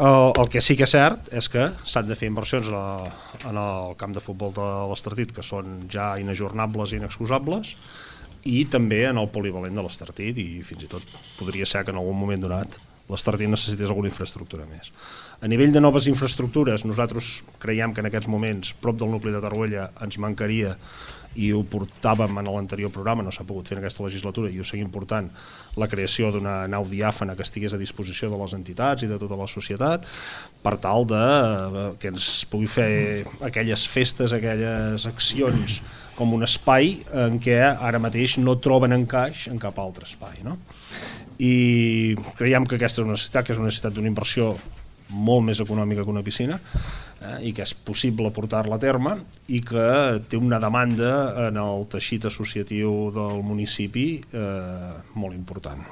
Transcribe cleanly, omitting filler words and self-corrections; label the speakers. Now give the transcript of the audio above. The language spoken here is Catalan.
Speaker 1: El que sí que és cert és que s'han de fer inversions en el camp de futbol de l'Estartit, que són ja inajornables i inexcusables, i també en el polivalent de l'Estartit, i fins i tot podria ser que en algun moment donat l'Estartit necessités alguna infraestructura més. A nivell de noves infraestructures, nosaltres creiem que en aquests moments prop del nucli de Torroella ens mancaria, i ho portàvem en l'anterior programa, no s'ha pogut fer en aquesta legislatura i ho seguim portant, la creació d'una nau diàfana que estigués a disposició de les entitats i de tota la societat per tal que ens pugui fer aquelles festes, aquelles accions com un espai en què ara mateix no troben encaix en cap altre espai, no? I creiem que aquesta és una necessitat, que és una necessitat d'una inversió molt més econòmica que una piscina, i que és possible portar-la a terme i que té una demanda en el teixit associatiu del municipi molt important.